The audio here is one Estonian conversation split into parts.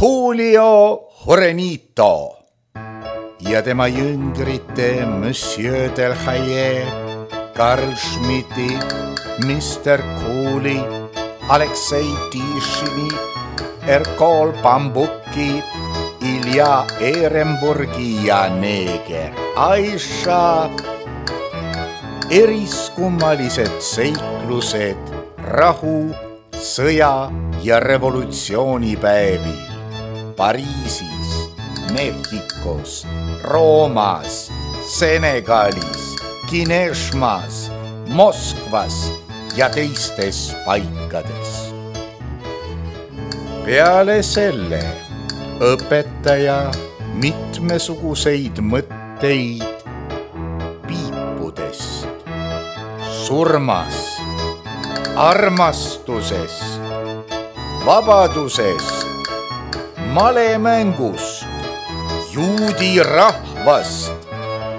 Julio Jurenito ja tema jüngrite Monsieur Delhaye, Karl Schmidti, Mr. Cooley, Aleksei Tishini, Erkol Bambuki, Ilja Ehrenburgi ja neeger Aisha. Eriskummalised seiklused rahu, sõja ja revolutsioonipäevil Pariisis, Mehhikos, Roomas, Senegalis, Kineshmas, Moskvas ja teistes paikades. Peale selle õpetaja mitmesuguseid mõtteid piipudest, surmast, armastusest, vabadusest, malemängust, juudi rahvast,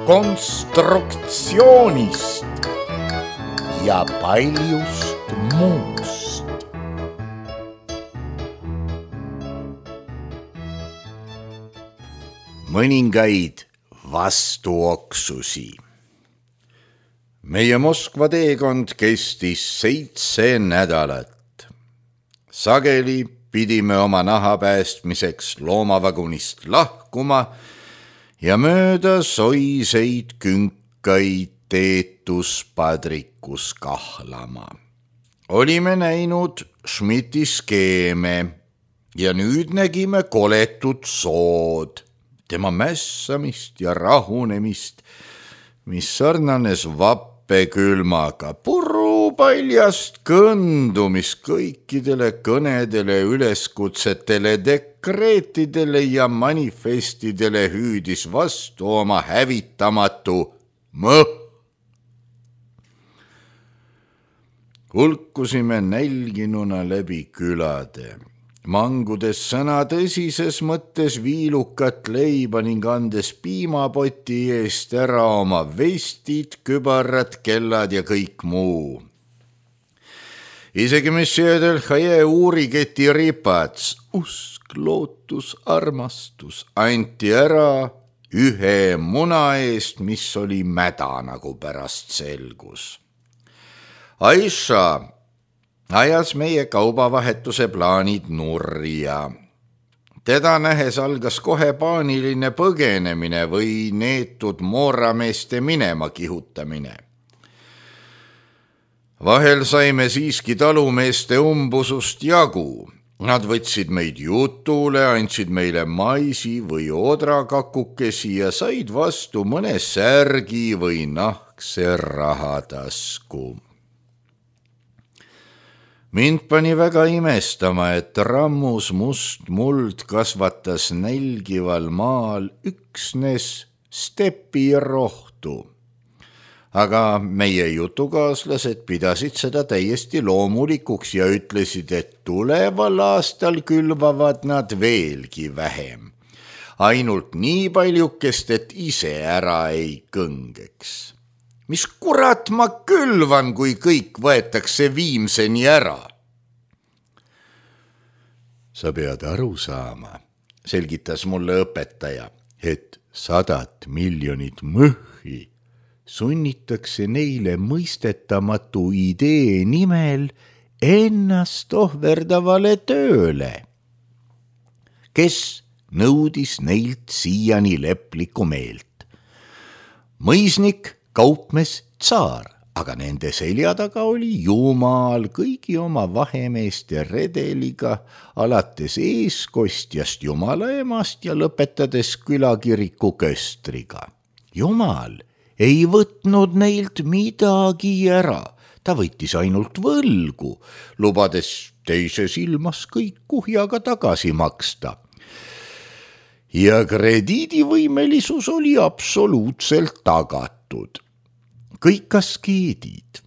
konstruktsioonist ja paljust muust. Mõningaid vastuoksusi. Meie Moskva teekond kestis 7 nädalat. Sageli pidime oma naha päästmiseks loomavagunist lahkuma ja mööda soiseid künkaid teetuspadrikus kahlama. Olime näinud Schmidti skeeme ja nüüd nägime koletut sood, tema mässamist ja rahunemist, mis sarnanes vappekülmaga, purupaljast kõndumist kõikidele kõnedele, üleskutsetele, dekreetidele ja manifestidele hüüdis vastu oma hävitamatu mõh. Hulkusime nälginuna läbi külade, mangudes sõna tõsises mõttes viilukat leiba ning andes piimapoti eest ära oma vestid, kübarad, kellad ja kõik muu. Isegi Monsieur Delhaye uuriketi ripats, usk, lootus, armastus anti ära ühe muna eest, mis oli mäda, nagu pärast selgus. Aisha ajas meie kaubavahetuse plaanid nurja. Teda nähes algas kohe paaniline põgenemine või neetud moorameeste minema kihutamine. Vahel saime siiski talumeeste umbusust jagu. Nad võtsid meid jutule, andsid meile maisi või odrakakukesi ja said vastu mõne särgi või nahkse rahatasku. Mind pani väga imestama, et rammus must muld kasvatas nälgival maal üksnes stepirohtu. Aga meie jutukaaslased pidasid seda täiesti loomulikuks ja ütlesid, et tuleval aastal külvavad nad veelgi vähem. Ainult nii paljukest, et ise ära ei kõngeks. Mis kurat ma külvan, kui kõik võetakse viimseni ära? Sa pead aru saama, selgitas mulle õpetaja, et 100 miljonit mõhhi sunnitakse neile mõistetamatu idee nimel ennast ohverdavale tööle, kes nõudis neilt siiani leplikku meelt. Mõisnik, kaupmees, tsaar, aga nende selja taga oli Jumal kõigi oma vahemeeste redeliga, alates eeskostjast Jumala emast ja lõpetades külakiriku köstriga. Jumal ei võtnud neilt midagi ära, ta võttis ainult võlgu, lubades teises ilmas kõik kuhjaga tagasi maksta. Ja krediidivõimelisus oli absoluutselt tagatud. Kõik askeedid,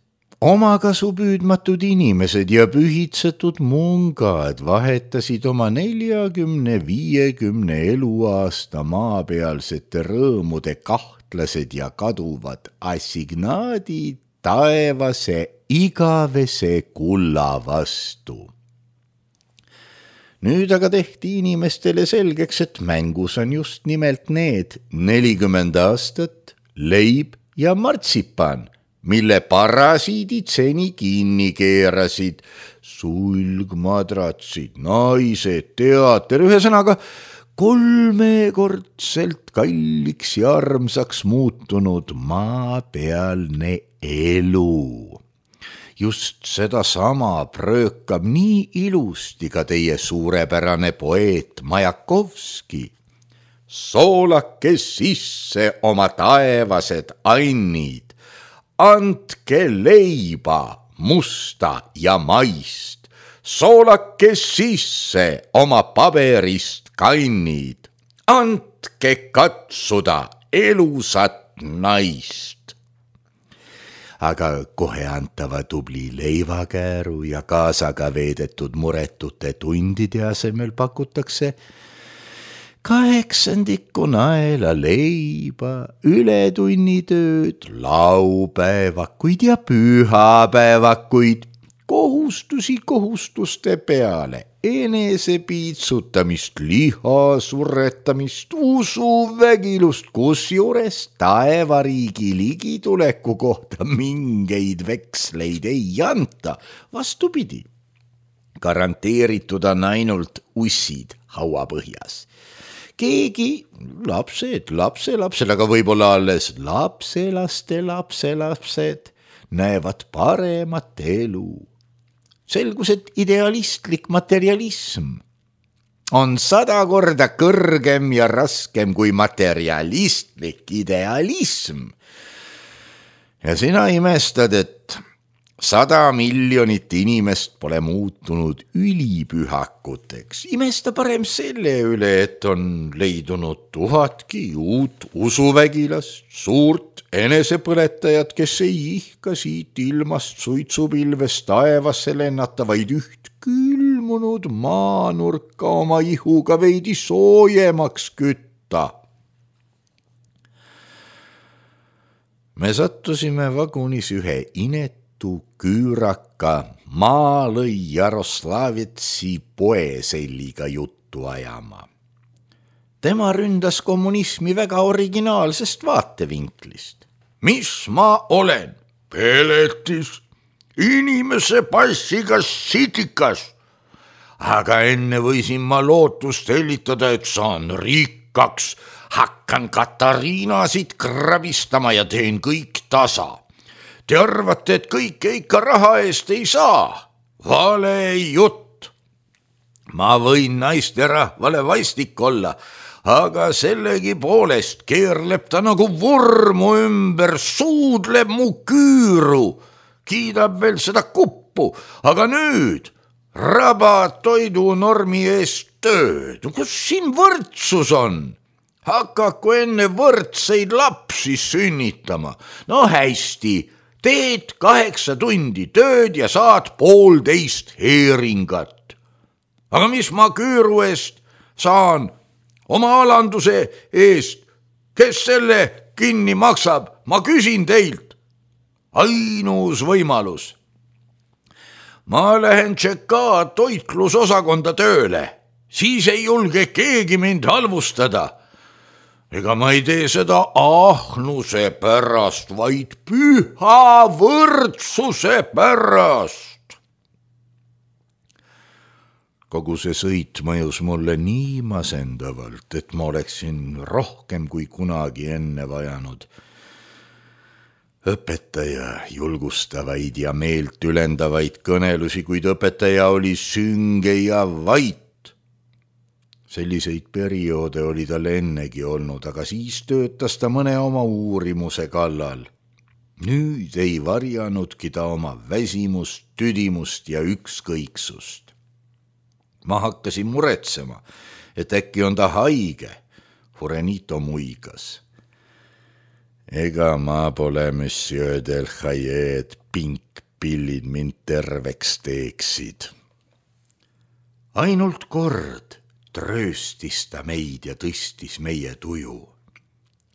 omakasupüüdmatud inimesed ja pühitsetud mungad vahetasid oma 40-50 eluaasta maapealsete rõõmude kahtlased ja kaduvad assignaadid taevase igavese kulla vastu. Nüüd aga tehti inimestele selgeks, et mängus on just nimelt need 40 aastat, leib ja martsipan, mille parasiidid seni kinni keerasid. Sulgmadratsid, naised, teater, ühesõnaga 3-kordselt kalliks ja armsaks muutunud maapealne elu. Just sedasama pröökab nii ilusti ka teie suurepärane poeet Majakovski. Soolake sisse oma taevased annid, andke leiba musta ja maist, soolake sisse oma paberist kannid, andke katsuda elusat naist. Aga kohe antava tubli leivakääru ja kaasaga veedetud muretute tundide asemel pakutakse 8 naela leiba, ületunnitööd, laupäevakuid ja pühapäevakuid, kohustusi kohustuste peale, enesepiitsutamist, liha surretamist, usuvägilust, kusjuures taevariigi ligituleku kohta mingeid veksleid ei anta. Vastupidi, garanteeritud on ainult ussid hauapõhjas. Keegi lapselapsed, aga võib-olla alles lapselapsed näevad paremat elu. Selgus, et idealistlik materialism on 100 korda kõrgem ja raskem kui materialistlik idealism. Ja sina imestad, et 100 miljonit inimest pole muutunud ülipühakuteks. Imesta parem selle üle, et on leidunud 1000 uut usuvägilast, suurt enesepõletajat, kes ei ihka siit ilmast suitsupilvest taevasse lennata, vaid üht külmunud maanurka oma ihuga veidi soojemaks kütta. Me sattusime vagunis ühe küüraka maa lõi Jaroslavitsi poeselliga juttu ajama. Tema ründas kommunismi väga originaalsest vaatevinklist. Mis ma olen? Peletis, inimese passiga sitikas. Aga enne võisin ma lootust hellitada, et saan rikkaks, hakkan Katariinasid krabistama ja teen kõik tasa. Te arvate, et kõike ikka raha eest ei saa? Vale jutt. Ma võin naisterahvale vastik olla, aga sellegi poolest keerleb ta nagu vormu ümber, suudleb mu küüru, kiidab veel seda kuppu, aga nüüd rabad toidunormi eest tööd. Kus siin võrdsus on? Hakaku enne võrdseid lapsi sünnitama. No hästi, teed 8 tundi tööd ja saad 1,5 heeringat. Aga mis ma küüru eest saan? Oma alanduse eest. Kes selle kinni maksab? Ma küsin teilt. Ainus võimalus. Ma lähen Tšeka toitlusosakonda tööle. Siis ei julge keegi mind halvustada. Ega ma ei tee seda ahnuse pärast, vaid püha võrdsuse pärast. Kogu see sõit mõjus mulle nii masendavalt, et ma oleksin rohkem kui kunagi enne vajanud õpetaja julgustavaid ja meelt ülendavaid kõnelusi, kuid õpetaja oli sünge ja vait. Selliseid perioode oli tal ennegi olnud, aga siis töötas ta mõne oma uurimuse kallal. Nüüd ei varjanudki ta oma väsimust, tüdimust ja ükskõiksust. Ma hakkasin muretsema, et äkki on ta haige. Furenito muigas. Ega ma pole monsieur Delhaye, et pinkpillid mind terveks teeksid. Ainult kord trööstis ta meid ja tõstis meie tuju.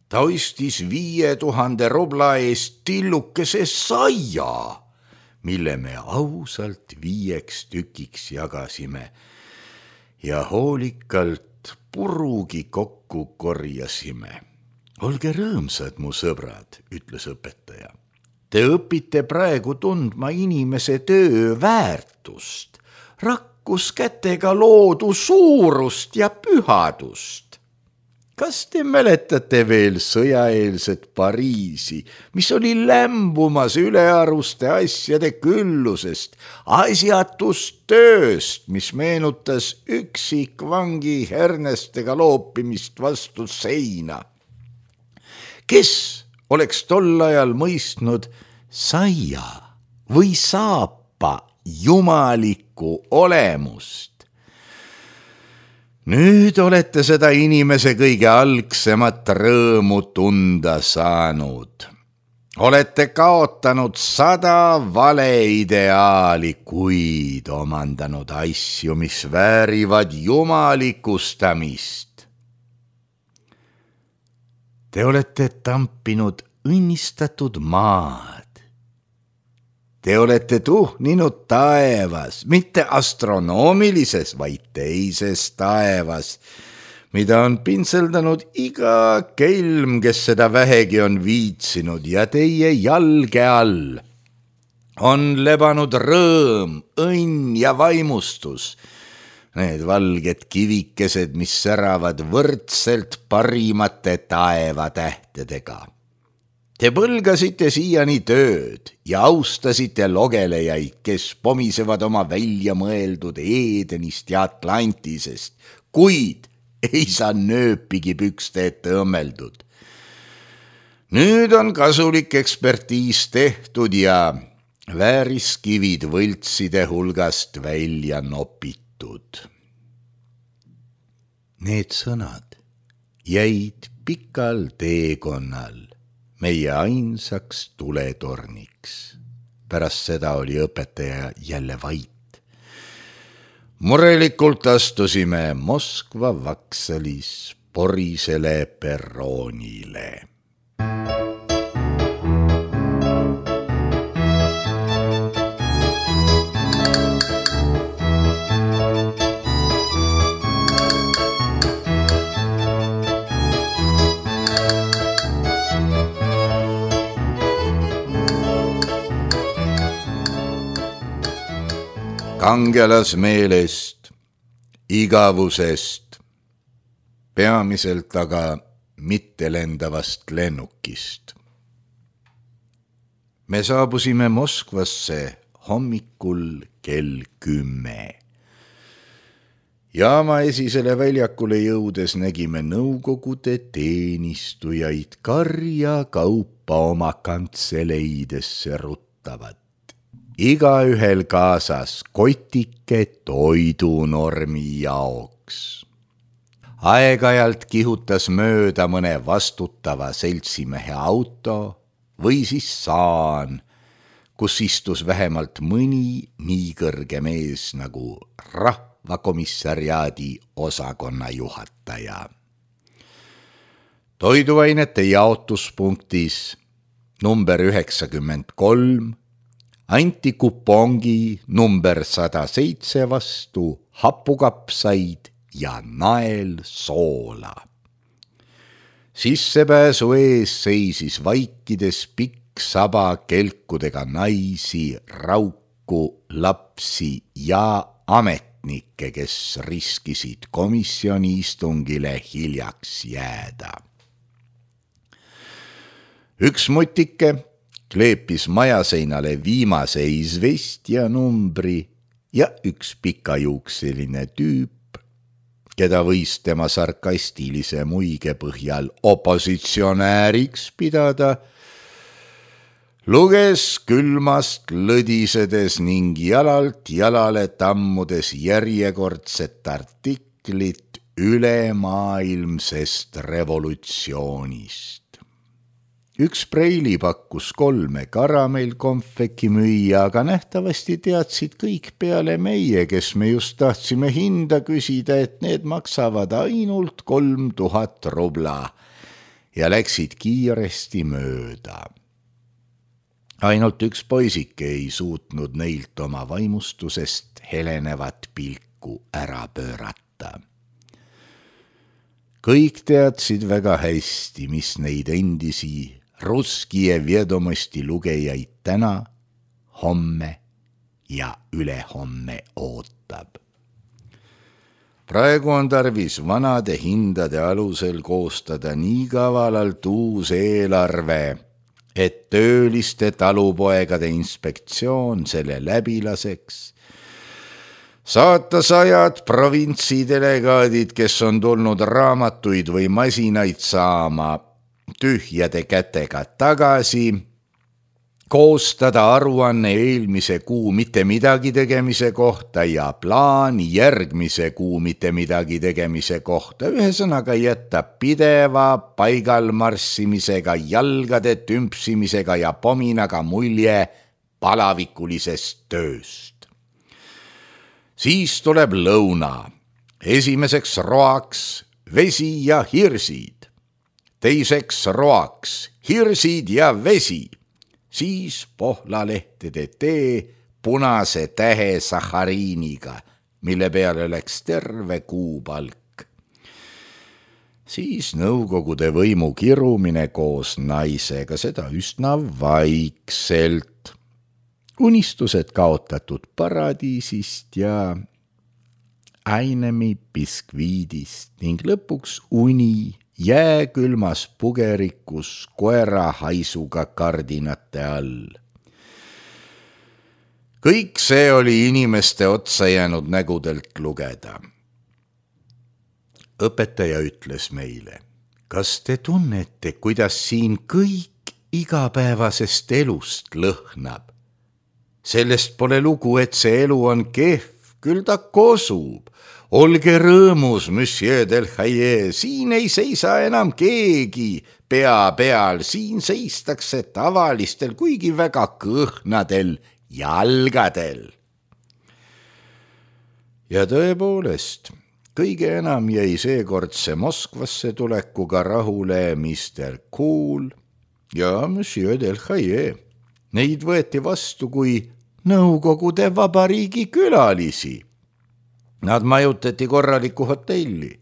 Ta ostis 5000 rubla eest tillukese saia, mille me ausalt 5 tükiks jagasime ja hoolikalt purugi kokku korjasime. Olge rõõmsad, mu sõbrad, ütles õpetaja. Te õpite praegu tundma inimese töö väärtust, rakkuskätega loodu suurust ja pühadust. Kas te mäletate veel sõjaeelset Pariisi, mis oli lämbumas ülearuste asjade küllusest, asjatust tööst, mis meenutas üksikvangi hernestega loopimist vastu seina? Kes oleks tol ajal mõistnud saia või saapa jumalikku olemust? Nüüd olete seda inimese kõige algsemat rõõmu tunda saanud. Olete kaotanud 100 valeideaali, kuid omandanud asju, mis väärivad jumalikustamist. Te olete tampinud õnnistatud maad. Te olete tuhninud taevas, mitte astronoomilises, vaid teises taevas, mida on pintseldanud iga kelm, kes seda vähegi on viitsinud, ja teie jalge all on lebanud rõõm, õnn ja vaimustus. Need valged kivikesed, mis säravad võrdselt parimate taevatähtedega. Te põlgasite siiani tööd ja austasite logelejaid, kes pomisevad oma välja mõeldud Edenist ja Atlantisest, kuid ei saa nööpigi pükste ette õmmeldud. Nüüd on kasulik ekspertiis tehtud ja vääriskivid võltside hulgast välja nopitud. Need sõnad jäid pikal teekonnal meie ainsaks tuletorniks. Pärast seda oli õpetaja jälle vait. Murelikult astusime Moskva vaksalis porisele perroonile. Kangelasmeelest, igavusest, peamiselt aga mittelendavast lennukist. Me saabusime Moskvasse hommikul kell 10. Jaama esisele väljakule jõudes nägime nõukogude teenistujaid karja kaupa oma kantseleidesse ruttavat. Igaühel kaasas kotike toidunormi jaoks. Aeg-ajalt kihutas mööda mõne vastutava seltsimehe auto või siis saan, kus istus vähemalt mõni nii kõrge mees nagu rahvakomissariaadi osakonna juhataja. Toiduainete jaotuspunktis number 93 anti kupongi number 107 vastu hapukapsaid ja naelsoola. Sissepääsu ees seisis vaikides pikk saba kelkudega naisi, rauku, lapsi ja ametnikke, kes riskisid komisjoni istungile hiljaks jääda. Üks mutike kleepis majaseinale viimase izvestja numbri ja üks pikajuukseline tüüp, keda võis tema sarkastilise muige põhjal opositsionääriks pidada, luges külmast lõdisedes ning jalalt jalale tammudes järjekordset artiklit ülemaailmsest revolutsioonist. Üks preili pakkus 3 karamellkonfeki müüa, aga nähtavasti teadsid kõik peale meie, kes me just tahtsime hinda küsida, et need maksavad ainult 3000 rubla ja läksid kiiresti mööda. Ainult üks poisike ei suutnud neilt oma vaimustusest helenevat pilku ära pöörata. Kõik teadsid väga hästi, mis neid endisi Russkije Vjedomosti lugejaid täna, homme ja ülehomme ootab. Praegu on tarvis vanade hindade alusel koostada nii kavalalt uus eelarve, et tööliste talupoegade inspektsioon selle läbi laseks, saata 100 provintsidelegaadid, kes on tulnud raamatuid või masinaid saama tühjade kätega tagasi, koostada aruanne eelmise kuu mitte midagi tegemise kohta ja plaan järgmise kuu mitte midagi tegemise kohta, ühesõnaga jätta pideva paigalmarssimisega, jalgade tümpsimisega ja pominaga mulje palavikulisest tööst. Siis tuleb lõuna, esimeseks roaks vesi ja hirsid, teiseks roaks hirsid ja vesi, siis pohlalehtede tee punase tähe sahariiniga, mille peale läks terve kuupalk. Siis nõukogude võimu kirumine koos naisega, seda üsna vaikselt. Unistused kaotatud paradiisist ja ainemi biskviidist ning lõpuks uni jääkülmas pugerikus koera haisuga kardinate all. Kõik see oli inimeste otsa jäänud nägudelt lugeda. Õpetaja ütles meile, kas te tunnete, kuidas siin kõik igapäevasest elust lõhnab? Sellest pole lugu, et see elu on kehv, küll ta kosub. Olge rõõmus, monsieur Delhaye, siin ei seisa enam keegi pea peal, siin seistakse tavalistel, kuigi väga kõhnadel jalgadel. Ja tõepoolest, kõige enam jäi seekordse Moskvasse tulekuga rahule Mr. Cool ja monsieur Delhaye. Neid võeti vastu kui Nõukogude Vabariigi külalisi. Nad majutati korralikku hotelli.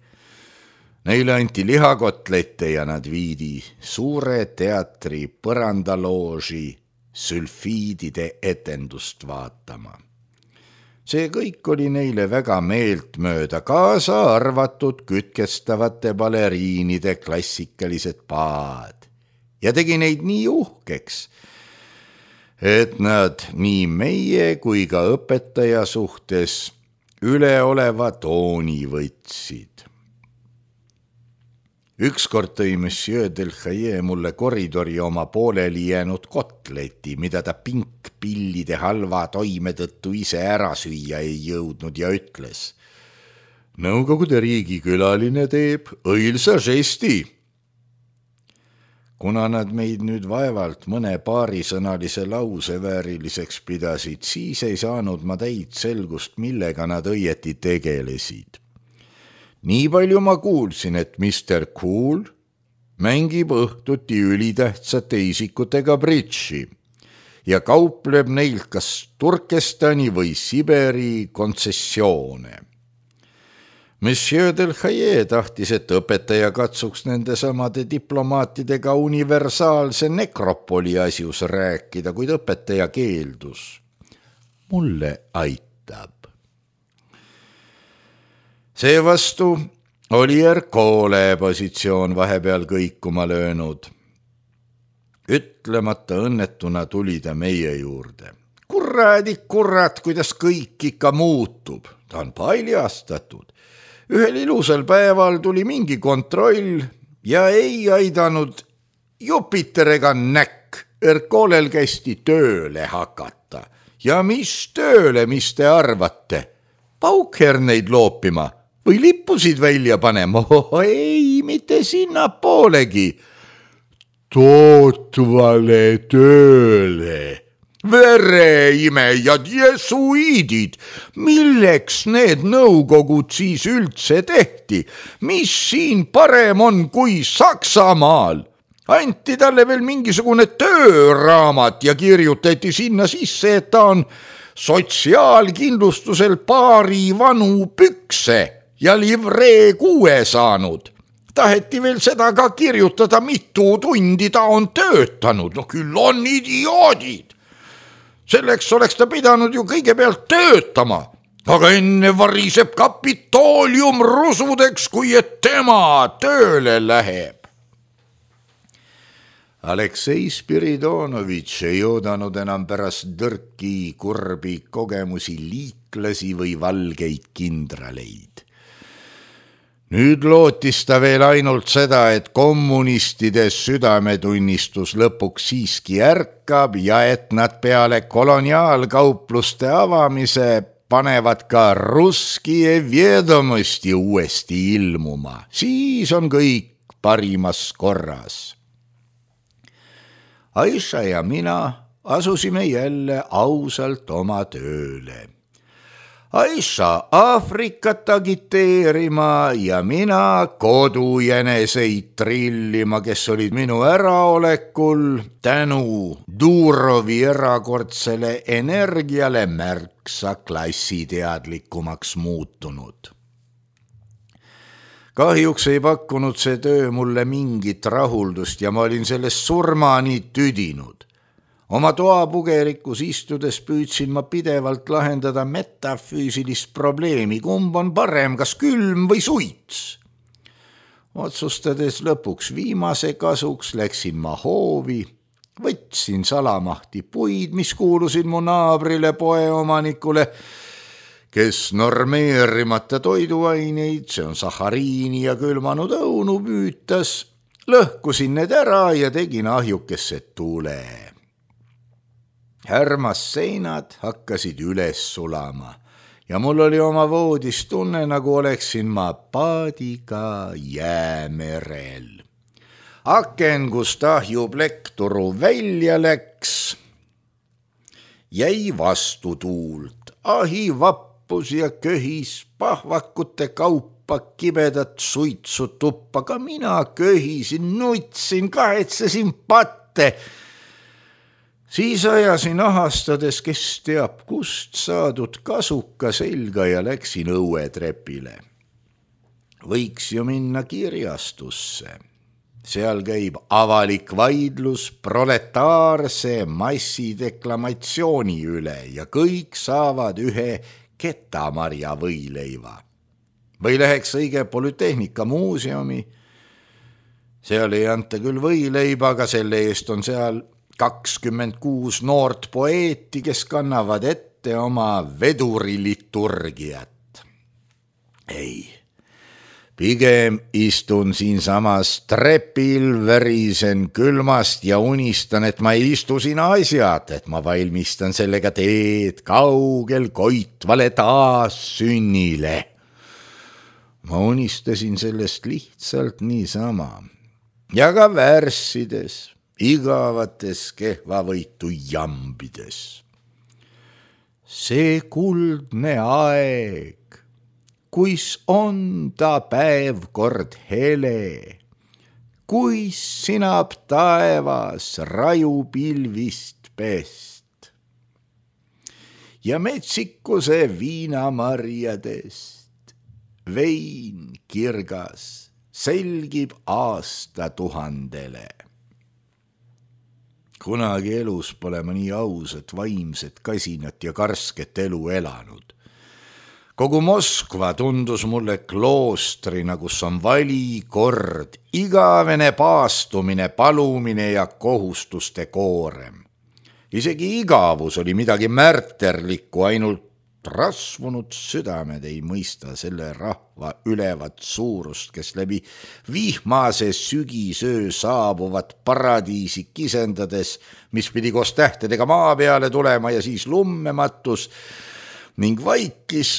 Neile anti lihakotlette ja nad viidi suure teatri põrandalooži sülfiidide etendust vaatama. See kõik oli neile väga meeltmööda, kaasa arvatud kütkestavate baleriinide klassikalised paad ja tegi neid nii uhkeks, et nad nii meie kui ka õpetaja suhtes üleoleva tooni võtsid. Ükskord tõi monsieur Delhaye mulle koridori oma pooleli jäänud kotleti, mida ta pinkpillide halva toime tõttu ise ära süüa ei jõudnud ja ütles: Nõukogude riigi külaline teeb õilsa žesti. Kuna nad meid nüüd vaevalt mõne paarisõnalise lause vääriliseks pidasid, siis ei saanud ma täit selgust, millega nad õieti tegelesid. Nii palju ma kuulsin, et Mr. Cool mängib õhtuti ülitähtsate isikutega bridži ja kaupleb neilt kas Turkestani või Siberi kontsessioone. Monsieur Delhaye tahtis, et õpetaja katsuks nende samade diplomaatidega universaalse nekropoli asjus rääkida, kuid õpetaja keeldus. Mulle aitab. Seevastu oli Ercole positsioon vahepeal kõikuma löönud. Ütlemata õnnetuna tuli ta meie juurde. Kurat, kuidas kõik ikka muutub. Ta on paljastatud. Ühel ilusal päeval tuli mingi kontroll ja ei aidanud Jupiter ega näkk. Ercolel kästi tööle hakata. Ja mis tööle, mis te arvate? Paukherneid loopima või lippusid välja panema? Ei, mitte sinna poolegi. Tootvale tööle. Vereimejad, jesuiidid, milleks need nõukogud siis üldse tehti? Mis siin parem on kui Saksamaal? Anti talle veel mingisugune tööraamat ja kirjutati sinna sisse, et ta on sotsiaalkindlustusel paari vanu pükse ja livree 6 saanud. Taheti veel seda ka kirjutada, mitu tundi ta on töötanud. No küll on idioodid. Selleks oleks ta pidanud ju kõigepealt töötama, aga enne variseb Kapitoolium rusudeks, kui et tema tööle läheb. Aleksei Spiridonovitš ei oodanud enam pärast tõrki kurbi kogemusi liiklasi või valgeid kindraleid. Nüüd lootis ta veel ainult seda, et kommunistide südametunnistus lõpuks siiski ärkab ja et nad peale koloniaalkaupluste avamise panevad ka Russkije Vjedomosti uuesti ilmuma. Siis on kõik parimas korras. Aiša ja mina asusime jälle ausalt oma tööle. Aiša Aafrikat agiteerima ja mina kodujäneseid trillima, kes olid minu äraolekul tänu Durovi erakordsele energiale märksa klassiteadlikumaks muutunud. Kahjuks ei pakkunud see töö mulle mingit rahuldust ja ma olin sellest surmani tüdinud. Oma toapugerikus istudes püüdsin ma pidevalt lahendada metafüüsilist probleemi, kumb on parem, kas külm või suits. Otsustades lõpuks viimase kasuks, läksin ma hoovi, võtsin salamahti puid, mis kuulusid mu naabrile poeomanikule, kes normeerimata toiduaineid, see on sahariini ja külmanud õunu püütas, lõhkusin need ära ja tegin ahjukesse tule. Härmas seinad hakkasid üles sulama ja mul oli oma voodis tunne, nagu oleksin ma paadiga jäämerel. Aken, kust ahjuplekkturu välja läks, jäi vastu tuult. Ahi vappus ja köhis pahvakute kaupa kibedat suitsu tuppa. Ka mina köhisin, nutsin, kahetsesin patte. Siis ajasin ahastades, kes teab kust saadud kasuka selga ja läksin õuetrepile. Võiks ju minna kirjastusse. Seal käib avalik vaidlus proletaarse massideklamatsiooni üle ja kõik saavad ühe ketamarja võileiva. Või läheks õige Polütehnika muuseumi. Seal ei anta küll võileiba, aga selle eest on seal 26 noort poeeti, kes kannavad ette oma veduriliturgiat. Ei, pigem istun siinsamas trepil, verisen külmast ja unistan, et ma ei istu siin asjad, et ma valmistan sellega teed kaugel koitvale taassünnile. Ma unistasin sellest lihtsalt niisama ja ka värssides, igavates kehvavõitu jambides. See kuldne aeg, kuis on ta päev kord hele, kuis sinab taevas rajupilvist pest ja metsikuse viinamarjadest vein kirgas selgib aastatuhandele. Kunagi elus pole ma nii ausat, vaimset, kasinat ja karsket elu elanud. Kogu Moskva tundus mulle kloostrina, kus on vali, kord, igavene paastumine, palumine ja kohustuste koorem. Isegi igavus oli midagi märterlikku, ainult rasvunud südamed ei mõista selle rahva ülevat suurust, kes läbi vihmase sügisöö saabuvat paradiisi kisendades, mis pidi koos tähtedega maa peale tulema ja siis lummematus ning vaikis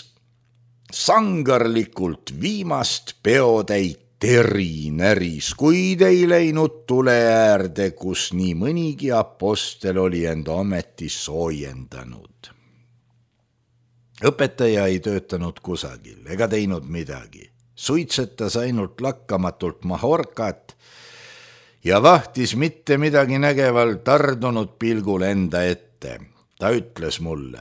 sangarlikult viimast peotäit terinäris, kuid ei läinud tule äärde, kus nii mõnigi apostel oli end ometi soojendanud. Õpetaja ei töötanud kusagil ega teinud midagi. Suitsetas ainult lakkamatult mahorkat ja vahtis mitte midagi nägeval tardunud pilgul enda ette. Ta ütles mulle: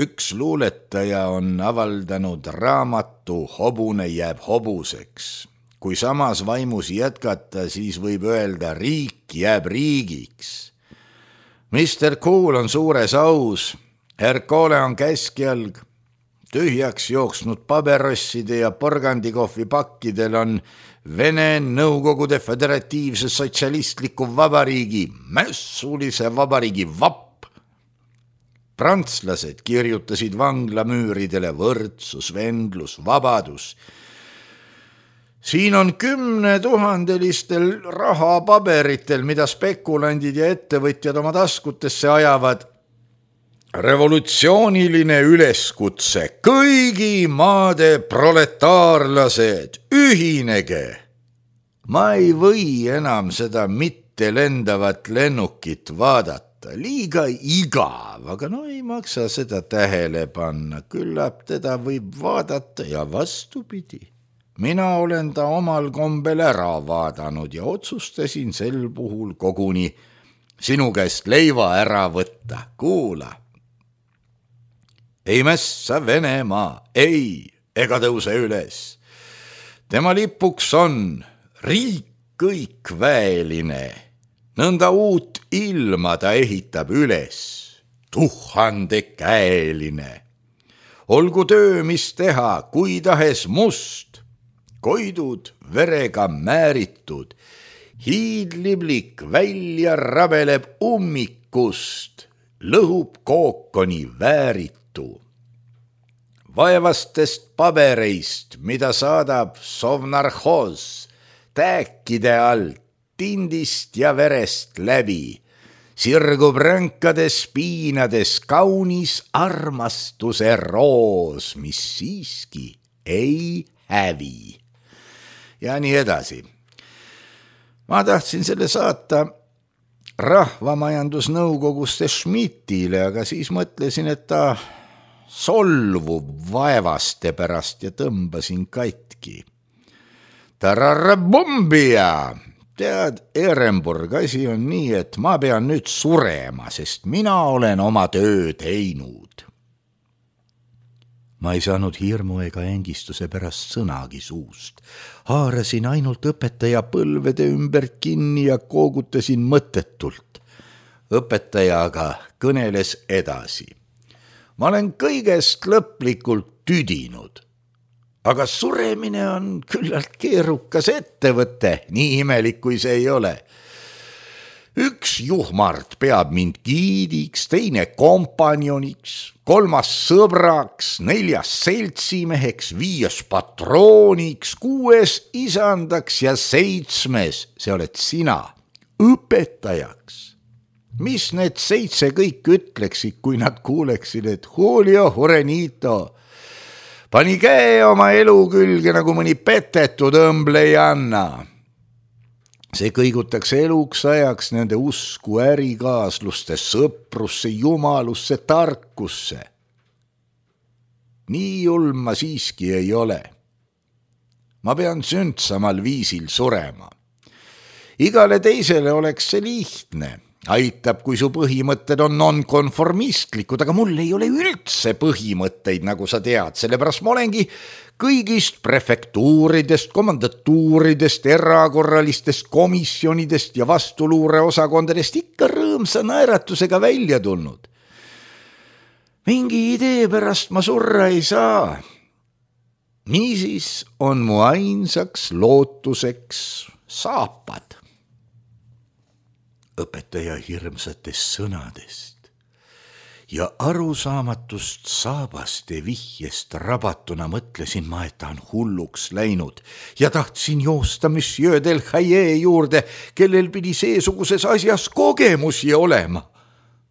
Üks luuletaja on avaldanud raamatu Hobune jääb hobuseks. Kui samas vaimus jätkata, siis võib öelda riik jääb riigiks. Mr. Cool on suures aus, Hercole on käskjalg, tühjaks jooksnud paberosside ja porgandikohvi pakkidel on Vene Nõukogude Föderatiivse Sotsialistliku Vabariigi, mässulise vabariigi vapp. Prantslased kirjutasid vanglamüüridele võrdsus, vendlus, vabadus. Siin on 10 000 rahapaberitel, mida spekulandid ja ettevõtjad oma taskutesse ajavad. Revolutsiooniline üleskutse, kõigi maade proletaarlased, ühinege. Ma ei või enam seda mitte lendavat lennukit vaadata. Liiga igav, aga ei maksa seda tähele panna, küllap teda võib vaadata ja vastupidi. Mina olen ta omal kombel ära vaadanud ja otsustasin sel puhul koguni sinu käest leiva ära võtta. Kuula. Ei mässa Venemaa, ei, ega tõuse üles. Tema lipuks on riik kõikväeline. Nõnda uut ilma ta ehitab üles, 1000-käeline. Olgu töö, mis teha, kui tahes must, koidud verega määritud, hiidliblik välja rabeleb ummikust, lõhub kookoni vääritu. Vaevastest pabereist, mida saadab sovnarhoos, tääkide alt, tindist ja verest läbi, sirgub rõnkades piinades kaunis armastuse roos, mis siiski ei hävi. Ja nii edasi. Ma tahtsin selle saata Rahvamajandusnõukoguste Schmidtile, aga siis mõtlesin, et ta solvub vaevaste pärast ja tõmbasin katki. Tararabumbia! Tead, Ehrenburg, asi on nii, et ma pean nüüd surema, sest mina olen oma töö teinud. Ma ei saanud hirmu ega ängistuse pärast sõnagi suust. Haarasin ainult õpetaja põlvede ümber kinni ja koogutasin mõttetult. Õpetaja aga kõneles edasi. Ma olen kõigest lõplikult tüdinud. Aga suremine on küllalt keerukas ettevõte, nii imelik kui see ei ole. Üks juhmart peab mind giidiks, teine kompanjoniks, 3 sõbraks, 4 seltsimeheks, 5 patrooniks, 6 isandaks ja 7, see oled sina, õpetajaks. Mis need 7 kõik ütleksid, kui nad kuuleksid, et Julio Jurenito pani käe oma elu külge nagu mõni petetud õmble ei anna. See kõigutaks eluks ajaks nende usku ärikaasluste, sõprusse, jumalusse, tarkusse. Nii julm ma siiski ei ole. Ma pean sündsamal viisil surema. Igale teisele oleks see lihtne. Aitab, kui su põhimõtted on nonkonformistlikud, aga mul ei ole üldse põhimõtteid, nagu sa tead, sellepärast ma olengi kõigist prefektuuridest, komandatuuridest, erakorralistest komisjonidest ja vastuluureosakondadest ikka rõõmsa naeratusega välja tulnud. Mingi idee pärast ma surra ei saa. Niisiis on mu ainsaks lootuseks saapad. Õpetaja hirmsatest sõnadest ja arusaamatust saabaste vihjest rabatuna mõtlesin ma, et ta on hulluks läinud ja tahtsin joosta Monsieur del Haye juurde, kellel pidi seesuguses asjas kogemusi olema.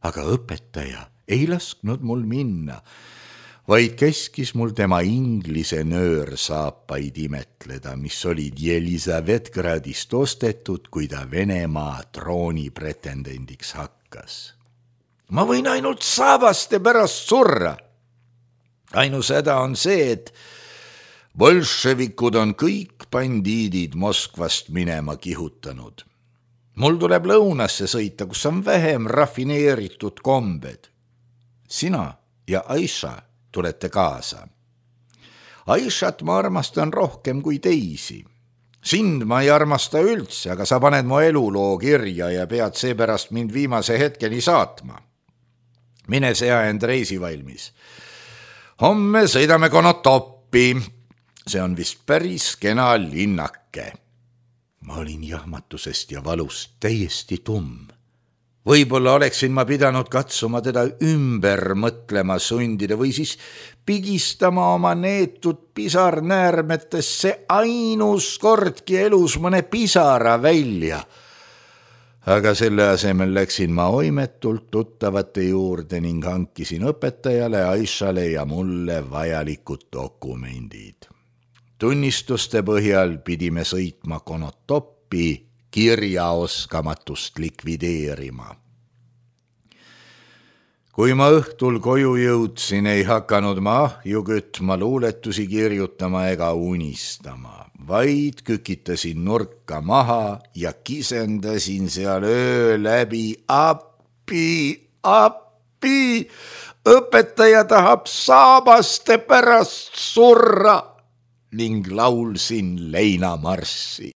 Aga õpetaja ei lasknud mul minna, vaid käskis mul tema inglise nöörsaapaid imetleda, mis olid Jelisavetgradist ostetud, kui ta Venemaa trooni pretendendiks hakkas. Ma võin ainult saabaste pärast surra. Ainus häda on see, et bolševikud on kõik bandiidid Moskvast minema kihutanud. Mul tuleb lõunasse sõita, kus on vähem rafineeritud kombed. Sina ja Aisha tulete kaasa. Aishat ma armastan rohkem kui teisi. Sind ma ei armasta üldse, aga sa paned mu eluloo kirja ja pead seepärast mind viimase hetkeni saatma. Mine sea end reisi valmis. Homme sõidame Konotoppi. See on vist päris kena linnake. Ma olin jahmatusest ja valust täiesti tumm. Võib-olla oleksin ma pidanud katsuma teda ümber mõtlema sundida või siis pigistama oma neetud pisarnäärmetesse ainus kordki elus mõne pisara välja. Aga selle asemel läksin ma oimetult tuttavate juurde ning hankisin õpetajale, Aishale ja mulle vajalikud dokumendid. Tunnistuste põhjal pidime sõitma Konotoppi kirjaoskamatust likvideerima. Kui ma õhtul koju jõudsin, ei hakanud ma ahju kütma, luuletusi kirjutama ega unistama, vaid kükitasin nurka maha ja kisendasin seal öö läbi appi, õpetaja tahab saabaste pärast surra ning laulsin leinamarssi.